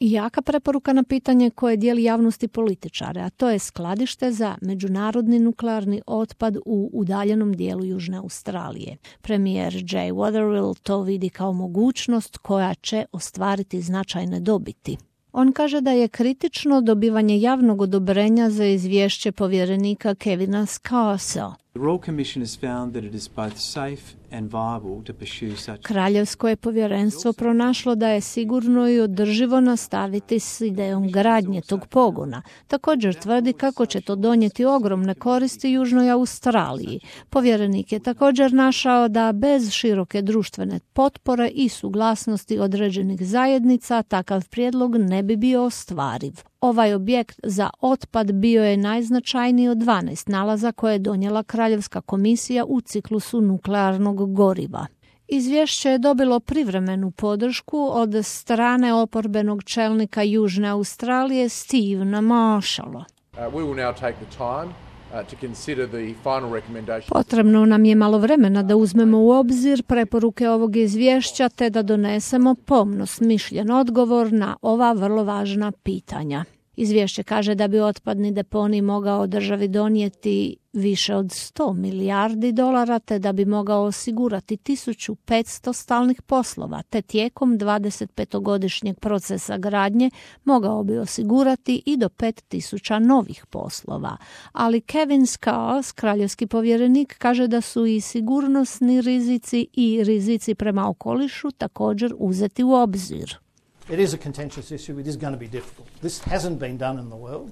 I jaka preporuka na pitanje koje dijeli javnost i političare, a to je skladište za međunarodni nuklearni otpad u udaljenom dijelu Južne Australije. Premijer Jay Weatherill to vidi kao mogućnost koja će ostvariti značajne dobiti. On kaže da je kritično dobivanje javnog odobrenja za izvješće povjerenika Kevina Scarsa. Kraljevsko je povjerenstvo pronašlo da je sigurno i održivo nastaviti s idejom gradnje tog pogona. Također tvrdi kako će to donijeti ogromne koristi Južnoj Australiji. Povjerenik je također našao da bez široke društvene potpore i suglasnosti određenih zajednica takav prijedlog ne bi bio ostvariv. Ovaj objekt za otpad bio je najznačajniji od 12 nalaza koje je donijela Kraljevska komisija u ciklusu nuklearnog goriva. Izvješće je dobilo privremenu podršku od strane oporbenog čelnika Južne Australije Stevena Marshalla. Potrebno nam je malo vremena da uzmemo u obzir preporuke ovog izvješća te da donesemo pomno smišljen odgovor na ova vrlo važna pitanja. Izvješće kaže da bi otpadni deponij mogao državi donijeti više od 100 milijardi dolara te da bi mogao osigurati 1500 stalnih poslova te tijekom 25-godišnjeg procesa gradnje mogao bi osigurati i do 5000 novih poslova. Ali Kevin Scars, kraljevski povjerenik, kaže da su i sigurnosni rizici i rizici prema okolišu također uzeti u obzir. It is a contentious issue. It is going to be difficult. This hasn't been done in the world.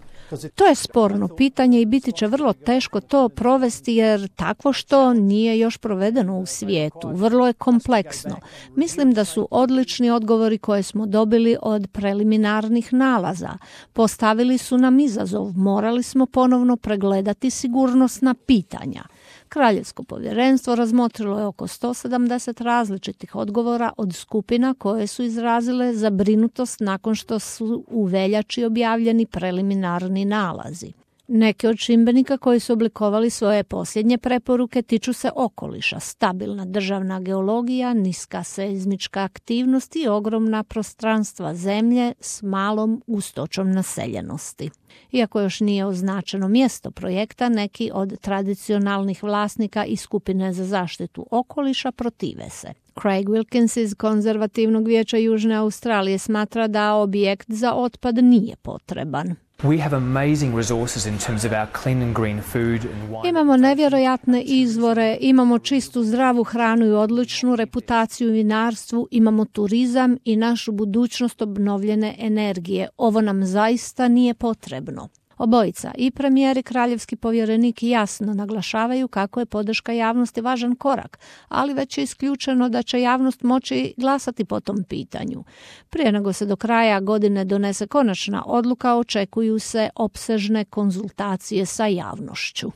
To je sporno pitanje i biti će vrlo teško to provesti jer takvo što nije još provedeno u svijetu. Vrlo je kompleksno. Mislim da su odlični odgovori koje smo dobili od preliminarnih nalaza. Postavili su nam izazov. Morali smo ponovno pregledati sigurnosna pitanja. Kraljevsko povjerenstvo razmotrilo je oko 170 različitih odgovora od skupina koje su izrazile zabrinutost nakon što su u veljači objavljeni preliminarni nalazi. Neki od čimbenika koji su oblikovali svoje posljednje preporuke tiču se okoliša, stabilna državna geologija, niska seizmička aktivnost i ogromna prostranstva zemlje s malom gustoćom naseljenosti. Iako još nije označeno mjesto projekta, neki od tradicionalnih vlasnika i skupine za zaštitu okoliša protive se. Craig Wilkins iz Konzervativnog vijeća Južne Australije smatra da objekt za otpad nije potreban. Imamo nevjerojatne izvore, imamo čistu zdravu hranu i odličnu reputaciju u vinarstvu, imamo turizam i našu budućnost obnovljene energije. Ovo nam zaista nije potrebno. Obojica, i premijer i kraljevski povjerenik, jasno naglašavaju kako je podrška javnosti važan korak, ali već je isključeno da će javnost moći glasati po tom pitanju. Prije nego se do kraja godine donese konačna odluka, očekuju se opsežne konzultacije sa javnošću.